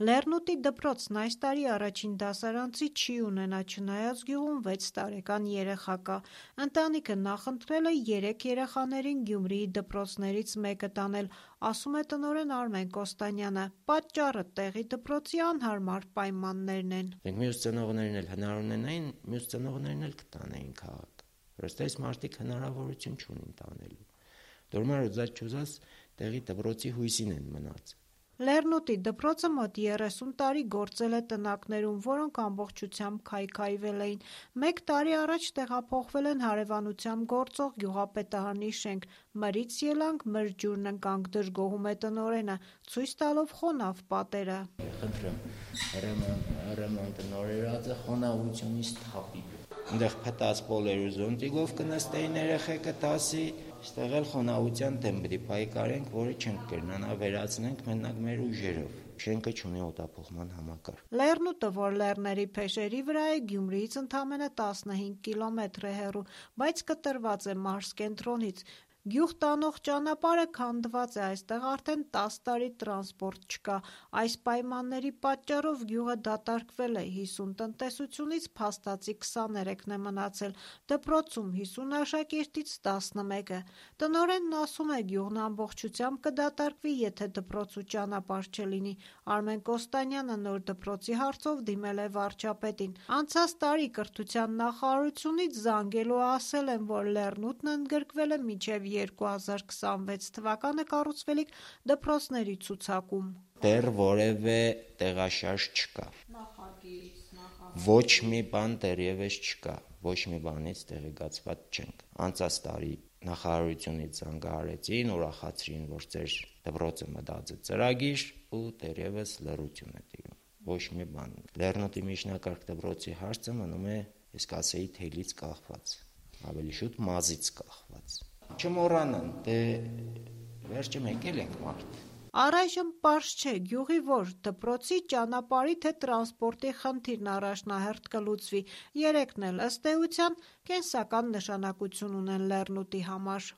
Լեռնուտի դպրոցն այս տարի առաջին դասարանցի չի ունենա, չնայած գյուղում 6 տարեկան երեխա կա։ Ընտանիքը նախընտրել է 3 երեխաներին Գյումրիի դպրոցներից մեկը տանել, ասում է տնօրեն Արմեն Կոստանյանը։ Պատճառը տեղի դպրոցի անհարմար պայմաններն են։ Մյուս ծնողներն էլ հնար ունենային, մյուս ծնողներն էլ կտանեին քաղաք։ Որովհետև այս մարդիկ հնարավորություն չունին տանելու։ Դորմար ուզած չուզած տեղի դպրոցի հույսին են մնաց։ Լեռնուտի դպրոցը մոտ 30 տարի գործել է տնակներում, որոնք ամբողջությամբ քայքայվել էին։ 1 տարի առաջ տեղափոխվել են հարևանությամբ գործող գյուղապետարանի շենք։ Մրից ելանք, մր ջուրն ընկանք, դժգոհում է տնօրենը, ցույց տալով խոնավ պատերը։ Խնդրեմ, հրաման տնօրերածը խոնավությունից թափի։ Այնտեղ փտած պոլեր ու զոնտիկով կնստեին երեխեքը դասի, այստեղ էլ խոնավության դեմ պիտի պայքարենք, որը չենք կրնանա վերացնենք մենակ մեր ուժերով։ Շենքը չունի օդափոխման համակարգ։ Լեռնուտը, որ լեռների փեշերի վրա է, Գյումրիից ընդամենը 15 կիլոմետր է հեռու, բայց կտրված է մարզկենտրոնից։ Գյուղ տանող ճանապարհը քանդված է, այստեղ արդեն 10 տարի տրանսպորտ չկա։ Այս պայմանների պատճառով գյուղը դատարկվել է, 50 տնտեսությունից փաստացի 23-ն է մնացել, դպրոցում 50 աշակերտից 11-ը։ Տնօրենն ասում է, գյուղն ամբողջությամբ կդատարկվի, եթե դպրոց ու ճանապարհ չլինի։ Արմեն Կոստանյանը նոր դպրոցի հարցով դիմել է վարչապետին։ Անցած տարի կրթության նախարարությունից զանգելու ասել են, որ Լեռնուտն ընդգրկվել է մինչև 2026 թվականը կառուցվելիք դպրոցների ցուցակում։ Դեռ որևէ տեղաշարժ չկա։ Ոչ մի բան դեռևս չկա, ոչ մի բանից տեղեկացված չենք։ Անցած տարի նախարարությունից զանգահարեցին, ուրախացրին, որ ձեր դպրոցը մտած է ծրագիր ու դեռևս լռություն է տիրում։ Ոչ մի բան։ Լեռնուտի միջնակարգ դպրոցի հարցը մնում է, ես կասեի, թելից կախված, ավելի շուտ մազից կախված։ Չմոռանան, դե վերջը մեկ էլ ենք մարդ։ Առայժմ պարզ չէ գյուղի որ դպրոցի, ճանապարհի թե տրանսպորտի խնդիրն առաջնահերթ կլուծվի։ Երեքն էլ ըստ էության կենսական նշանակություն ունեն Լեռնուտի համար։